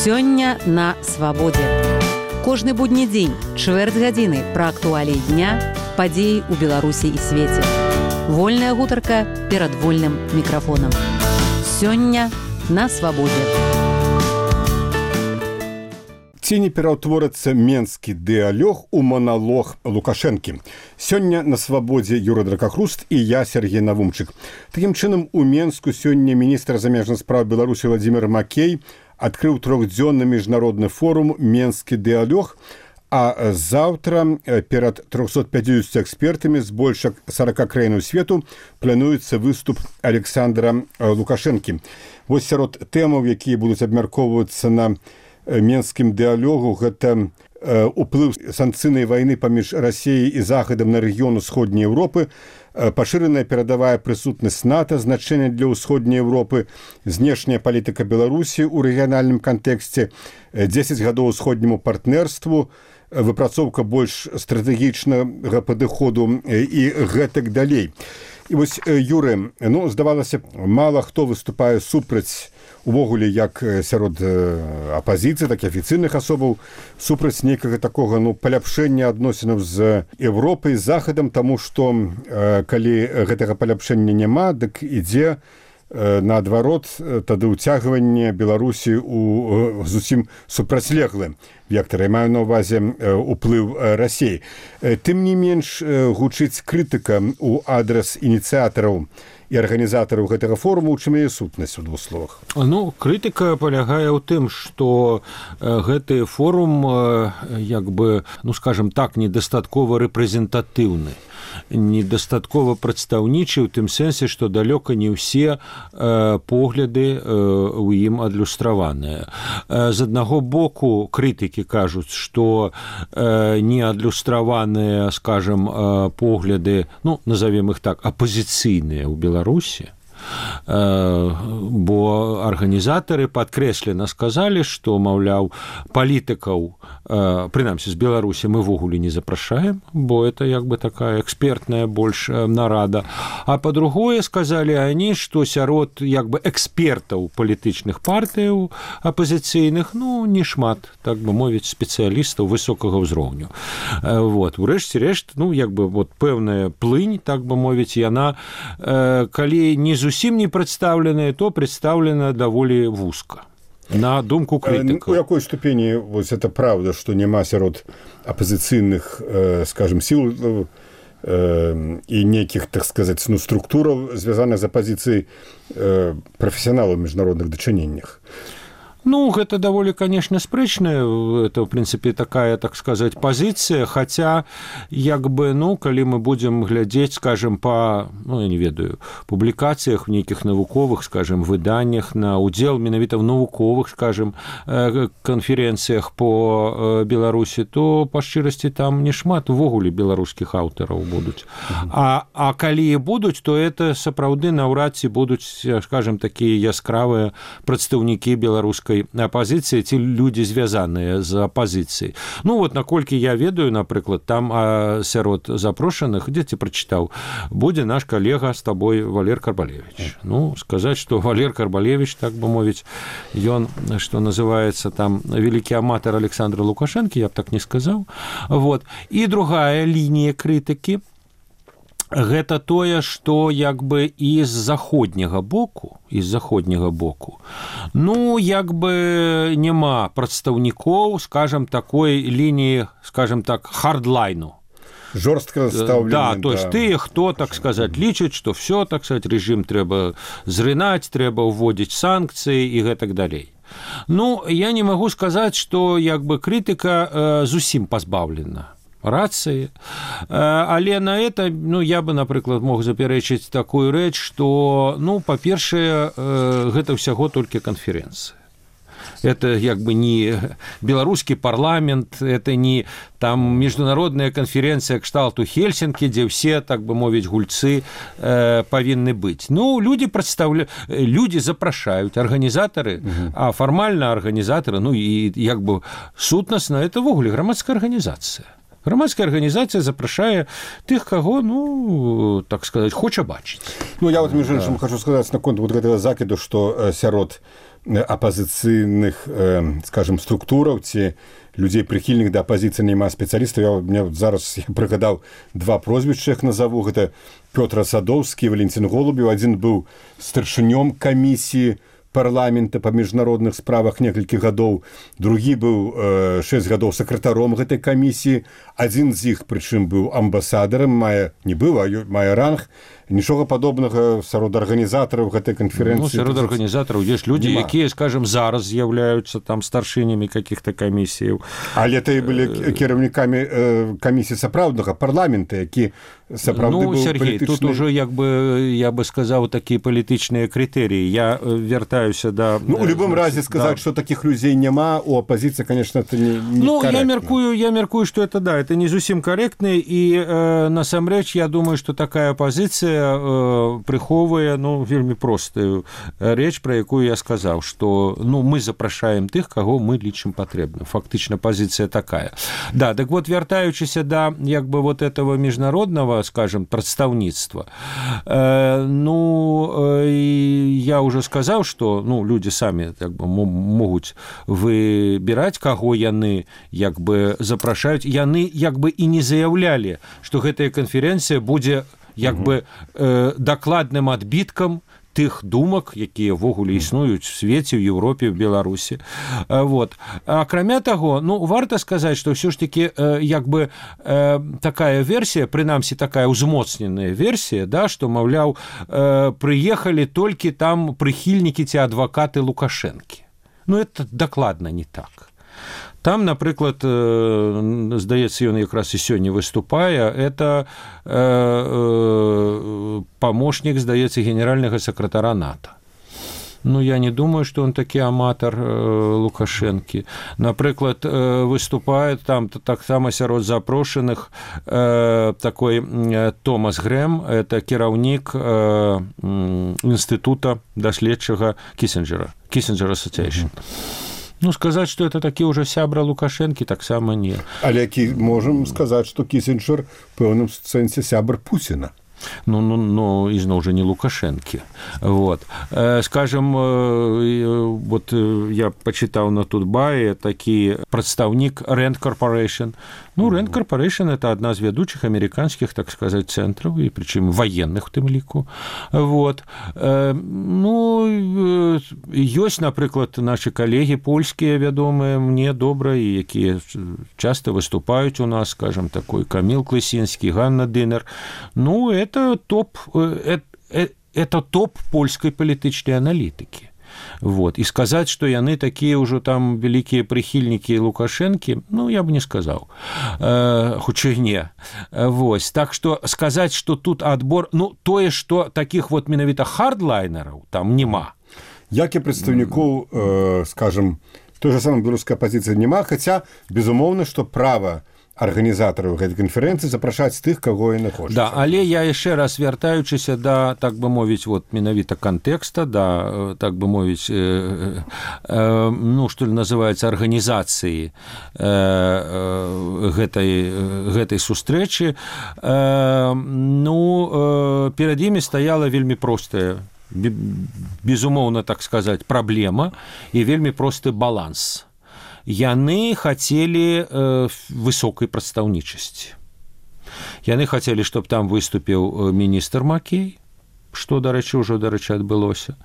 Сёння на свабодзе. Кожны будні дзень, чвэрць гадзіны пра актуаліі дня, падзеі ў Беларусі і свеце. Вольная гутарка перад вольным мікрафонам. Сёння на свабодзе. Ці не пераўтворыцца менскі дыялог у маналог Лукашэнкі. Сёння на свабодзе Юра Дракахруст і я, Сергей Навумчык. Такім чынам, у Менску сёння міністр замежных спраў Беларусі Владзімир Макей адкрыў трохдзённы міжнародны форум «Менскі дыялог», а заўтра перад 350 экспертамі з больш 40 краінаў свету плануецца выступ Александра Лукашэнкі. Вось сярод тэмаў, якія будуць абмяркоўвацца на менскім дыялогу, гэта уплыў санкцыйнай вайны паміж Расіяй і Захадам на рэгіён Усходняй Еўропы, пашыраная перадавая прысутнасць НАТО, значэнне для Усходняй Еўропы, знешняя палітыка Беларусі ў рэгіянальным кантэксце, 10 гадоў усходняму партнерству, выпрацоўка больш стратэгічнага падыходу і гэтак далей. І вось, Юры, здавалася, мала хто выступае супраць увогуле як сярод апазіцыі, так і афіцыйных асобаў, супраць нейкага такога паляпшэння адносінаў з Еўропай, з Захадам, таму што калі гэтага паляпшэння няма, дык ідзе наадварот тады ўцягванне Беларусі ў зусім супрацьлеглы вектар. Я маю на ўвазе ўплыў Расіі. Тым не менш гучыць крытыка ў адрас ініцыятараў і арганізатараў гэтага форуму, у чым яе сутнасць у двух словах? Крытыка палягае ў тым, што гэты форум, скажем так, недастаткова рэпрэзентатыўны, недастаткова прадстаўнічы ў тым сэнсе, што далёка не ўсе погляды ў ім адлюстраваныя. З аднаго боку, крытыкі кажуць, што не адлюстраваныя, скажем, погляды, назовем іх так, апазіцыйныя ў Беларусі, бо арганізатары падкрэслена сказалі, што, маўляў, палітыкаў, прынамсі з Беларусі, мы ввогуле не запрашаем, бо это такая экспертная больш нарада. А па-другое, сказалі они, што сярод экспертаў палітычных партыяў апазіцыйных, не шмат, так бы мовіць, спецыялістаў высокага ўзроўню. Урэшце рэшт, пэўная плынь, так бы мовіць, яна, калі не зусім не прадстаўленая, то прадстаўлена даволі вузка. На думку крытыкаў. У якой ступені это правда, што няма сярод апазіцыйных, скажем, сіл і нейкіх, так сказаць, структураў, звязаных з апазіцыяй прафесіяналаў у міжнародных дачыненнях? Гэта даволі, конечно, спрэчная, это, в принципе, такая, так сказать, позиция, хотя, калі мы будем глядзець, скажем, по, я не ведаю, публікацыях в нейкіх навуковых, скажем, выданнях, на удзел менавіта в навуковых, скажем, канферэнцыях по Беларусі, то, па шчырасці, там не шмат увогуле беларускіх аўтараў будуць. А калі і будуць, то это сапраўды наўрад ці будуць, скажем, такія яскравыя прадстаўнікі беларускай апозіцыі ці людзі, звязаныя з апозіцыяй. Наколькі я ведаю, напрыклад, там сярод запрошаных, дзе ты прачытаў, будзе наш калега з табой Валер Карбалевіч. Сказаць, што Валер Карбалевіч, так бы мовіць, ён, што называецца там вялікі аматар Александра Лукашэнкі, я б так не сказаў. І другая лінія крытыкі, гэта тое, што і з заходняга боку, няма прадстаўнікоў, скажем, такой лініі, скажем так, хардлайну. Жорстка стаўлены. Да, то есть тыя, хто, так сказаць, лічыць, што все, так сказаць, рэжым трэба зрынаць, трэба ўводзіць санкцыі і гэтак далей. Я не магу сказаць, што крытыка зусім пазбаўлена рацыі, але на это, я бы, напрыклад, мог запярэчыць такую рэч, што, па-першае, гэта ўсяго толькі канферэнцыя. Это не беларускі парламент, это не там міжнародная канферэнцыя кшталту Хельсінкі, дзе ўсе, так бы мовіць, гульцы павінны быць. Людзі запрашаюць, арганізатары, а фармальна арганізатары, і сутнасна, это ввогуле грамадская арганізацыя. Грамадская арганізацыя запрашае тых, каго, так сказаць, хоча бачыць. Я між іншым хочу сказаць наконт гэтага закіду, што сярод апазіцыйных, скажем, структураў ці людзей прыхільных да апазіцыі няма спецыялістаў. Мне зараз прыгадаў два прозвішча, іх назову. Гэта Пётр Садоўскі, Валентин Голубеў. Адзін быў старшынём камісіі парламента па міжнародных справах некалькі гадоў, другі быў 6 гадоў сакратаром гэтай камісіі, адзін з іх прычым быў амбасадарам, не быў, а мае ранг. Нічога падобнага сярод арганізатараў гэтай канферэнцыі. Сярод арганізатараў ёсць людзі, якія, скажем, зараз з'яўляюцца там старшынямі каких-то камісіяў. Але то і былі кіраўнікамі камісіі сапраўднага парламента, які сапраўды быў Сергей, палітычны... тут уже, як бы, я бы сказаў, такія палітычныя крытэрыі. Я вяртаюся да... у любым разе сказаць, што такіх людзей няма, у апазіцыі, конечно, это не корректно. Я меркую, что это, да, это не зусім корректно, и насамрэч, я думаю, что такая оппозиция прыхоўвае, вельмі простую рэч, пра якую я сказаў, што мы запрашаем тых, каго мы лічым патрэбна. Фактычна пазіцыя такая. Да, так вот, вяртаючыся да як бы вот этого міжнародного, скажем, прадстаўніцтва, я уже сказаў, што людзі самі як бы могуць выбіраць, каго яны як бы запрашаюць. Яны як бы і не заяўлялі, што гэтая канферэнцыя будзе як бы дакладным адбіткам тых думак, якія ввогуле існуюць у свеце, ў Еўропе, в Беларусі. Вот. Акрамя таго, варта сказаць, што ўсё ж такі як бы такая версія, прынамсі такая ўзмоцненая версія, да, што, маўляў, прыехалі толькі там прыхільнікі ці адвакаты Лукашэнкі. Это дакладна не так. Там, напрыклад, здаецца, ён якраз і сёння выступае, это памочнік, здаецца, генеральнага сакратара НАТО. Я не думаю, што он такі аматар Лукашэнкі. Напрыклад, выступае там таксама сярод запрошаных такой Томас Грэм, это кіраўнік інстытута даследчага Кісінджера, Кісінджер Association. Сказаць, што это такі ўжо сябра Лукашэнкі, таксама не. Але можам сказаць, што Кісінджер в пэўным сэнсе сябр Пуціна. Ізноў жа не Лукашэнкі. Вот. Скажем, вот я пачытаў на Тутбае такі прадстаўнік Rand Corporation. Rand Corporation – это одна з вядучых амерыканскіх, так сказаць, цэнтраў, і прычым военных у тым ліку. Вот. Ёсць, напрыклад, нашы калегі польскія вядомыя мне добра, і якія часта выступаюць у нас, скажем, такой Каміл Клысінскі, Ганна Дынер. Это топ польскай палітычнай аналітыкі. Вот. І сказаць, што яны такія ўжо там вялікія прыхільнікі Лукашэнкі, я б не сказаў. Хутчэй не. Вось. Так што сказаць, што тут адбор, тое, што такіх вот менавіта хардлайнераў там няма. Як і прадстаўнікоў, скажем, той же самой беларускай апазіцыі няма, хаця, безумоўна, што права арганізатараў гэтай канферэнцыі запрашаць тых, каго яны хочуць. Да, але я яшчэ раз вяртаючыся да, так бы мовіць, вот менавіта кантэкста, да, так бы мовіць, што называецца арганізацыі гэтай сустрэчы, перад імі стаяла вельмі простая, безумоўна, так сказаць, праблема і вельмі просты баланс. Яны хацелі высокай прадстаўнічасці. Яны хацелі, чтобы там выступіў міністр Макей, што, дарэчы, ўжо, адбылося.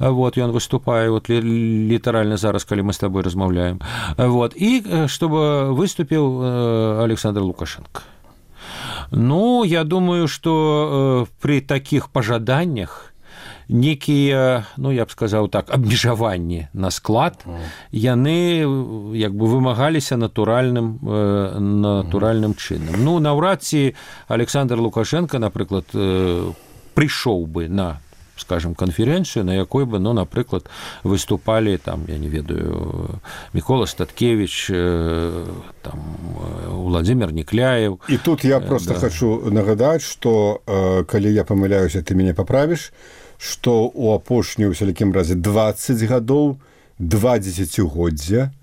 Вот, ён выступае, вот, літаральна зараз, калі мы з табой размаўляем. Вот, і чтобы выступіў Александр Лукашенко. Я думаю, што при такіх пажаданнях некія, я б сказаў так, абмежаванні на склад, яны як бы вымагаліся натуральным чынам. Наўрад ці Александр Лукашенко, напрыклад, прыйшоў бы на, скажем, канферэнцыю, на якой бы, напрыклад, выступалі там, я не ведаю, Мікола Статкевич, там Владимир Некляев. І тут я просто хочу нагадаць, што калі я памыляюся, ты мяне паправіш, што ў апошнюю ў сялякім разе 20 гадоў, 2 дзесяцігоддзя,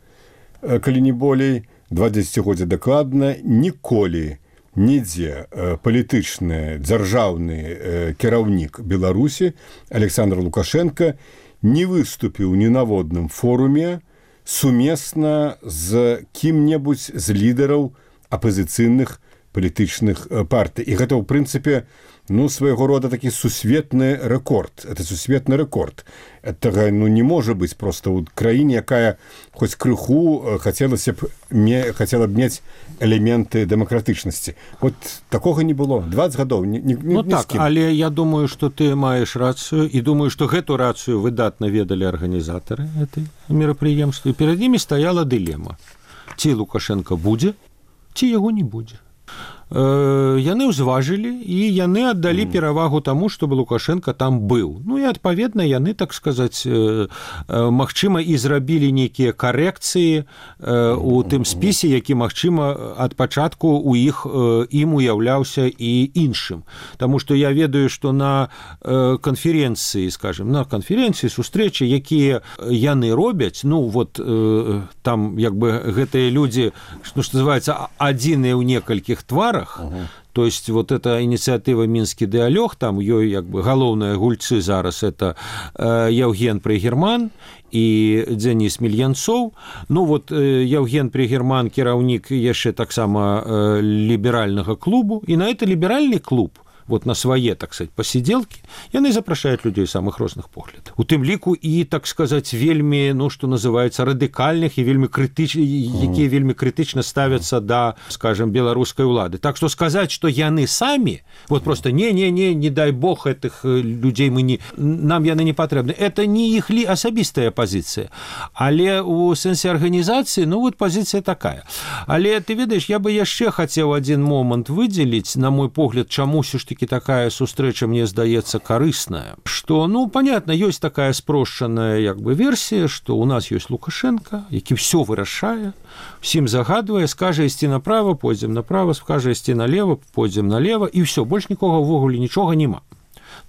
калі не болей, 2 дзесяцігоддзя дакладна, ніколі нідзе палітычны дзяржаўны кіраўнік Беларусі Александр Лукашенко не выступіў ні на водным форуме сумесна з кім-небудзь з лідараў апазіцыйных палітычных партый. І гэта, ў прынцыпе, свайго рода такі сусветны рэкорд. Это сусветны рэкорд. Этого не можа быць проста ў краіне, якая хоць крыху хацела б мець элементы дэмакратычнасці. Вот такога не было. 20 гадоў. Так, але я думаю, што ты маеш рацыю, і думаю, што гэту рацыю выдатна ведалі арганізатары гэтай мерапрыемства. Перад імі стаяла дылема. Ці Лукашенко будзе, ці яго не будзе. Яны ўзважылі, і яны аддалі перавагу таму, чтобы Лукашенко там быў. І адпаведна яны, так сказаць, магчыма, і зрабілі нейкія карэкцыі у тым спісе, які, магчыма, ад пачатку ім уяўляўся і іншым. Таму што я ведаю, што на канферэнцыі, скажем, на канферэнцыі, сустрэчы, якія яны робяць, там, як бы, гэтыя людзі, што называецца, адзіныя ў некалькіх тварах. То есть вот эта инициатива «Минский диалог», там ёй як бы галоўныя гульцы зараз это Евген Пригерман і Денис Мельянцоў. Евген Пригерман кіраўнік яшчэ таксама ліберальнага клубу, і на это ліберальны клуб, на свае, так сказать, посиделки, яны запрашаюць людзей самых розных поглядаў. У тым ліку і, так сказать, вельмі, што называецца, радыкальных і якія вельмі крытычна ставяцца да, скажем, беларускай улады. Так што сказаць, што яны самі, просто не дай бог гэтых людзей нам яны не патрэбны. Это не іх асабістая пазіцыя. Але у сэнсе арганізацыі, пазіцыя такая. Але ты ведаеш, я бы яшчэ хацеў адзін момант выдзеліць, на мой погляд, чаму ўсё ж таки такая сустрэча, мне здаецца, карысная. Што, понятно, ёсць такая спрошчаная як бы версія, што у нас ёсць Лукашенко, які ўсё вырашае, усім загадвае, скажа ісці направо, пойдзем направо, скажа ісці налево, пойдзем налево, і ўсё, больш нікога ўвогуле нічога няма.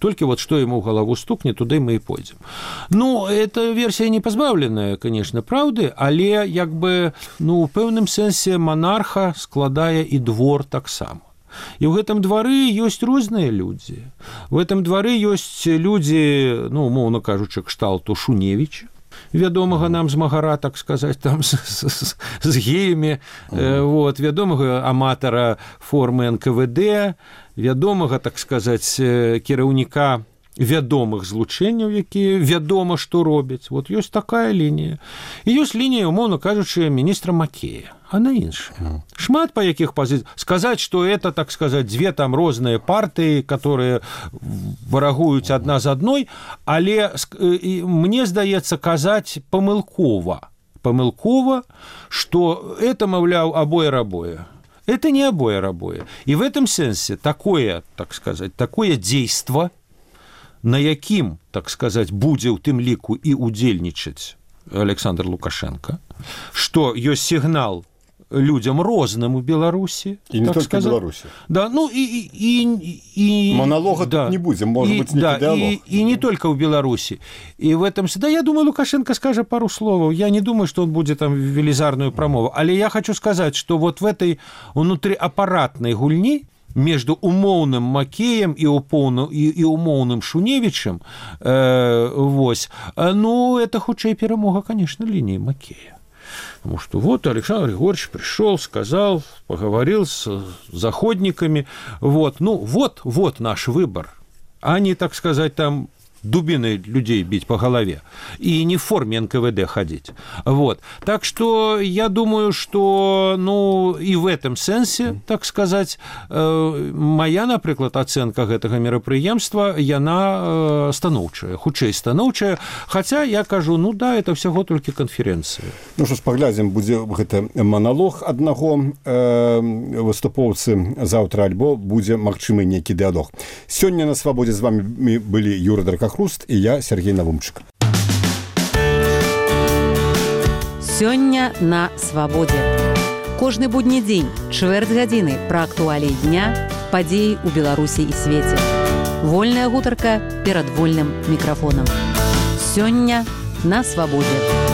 Толькі што ему в голову стукне, туды мы і пойдзем. Эта версія не пазбаўленая, конечно, праўды, але як бы, у пэўным сэнсе монарха складае і двор таксама. І ў гэтым двары ёсць розныя людзі. У гэтым двары ёсць людзі, умоўна кажучы, кшталту Шуневіча, вядомага нам змагара, так сказаць, там з геямі, вядомага аматара формы НКВД, вядомага, так сказаць, кіраўніка вядомых злучэнняў, якія вядома, што робяць. Ёсць такая лінія. І ёсць лінія, умоўна кажучы, міністра Макея. Она іншая. Шмат па якіх пазіцыях. Сказаць, што это, так сказаць, дзве там розныя партыі, которые варагуюць адна з адной, але мне здаецца казаць памылкова, што это, маўляў, абое-рабое. Это не абое-рабое. І в этом сэнсе такое, так сказаць, такое дзейства, на якім, так сказаць, будзе ў тым ліку і удзельнічаць Александр Лукашенко, што ёсць сігнал людзям розным у Беларусі. І не толькі в Беларусі. Да, монолога тут не будзе, можа быць, нейкі дыалог. І не толькі ў Беларусі. І в этом... я думаю, Лукашенко скажа пару словаў. Я не думаю, что он будет там велизарную промову. Але я хочу сказать, что в этой внутриаппаратной гульни между умоўным Макеем і умоўным Шуневічем, это хутчэй перамога, конечно, линии Макея. Потому что Александр Григорьевич пришел, сказал, поговорил с заходниками. Вот наш выбор. А не, так сказать, там дубиной людей бить по голове и не в форме НКВД ходить. Так что я думаю, что и в этом сенсе, так сказать, моя, например, оценка гэтага мерапрыемства, яна станоўчая, хутчэй станоўчая, хотя я кажу, да, это всего только конференция. Что ж, паглядзім, будзе гэта монолог аднаго выступоўцы заўтра, альбо будзе магчымы нейкі дыалог. Сёння на свабодзе з вами былі Юра Дракахруст и я, Сергей Навумчик. Сёння на свабодзе. Кожны будні дзень, чвэрць гадзіны пра актуаліі дня, падзеі ў Беларусі і свеце. Вольная гутарка перад вольным мікрафонам. Сёння на свабодзе.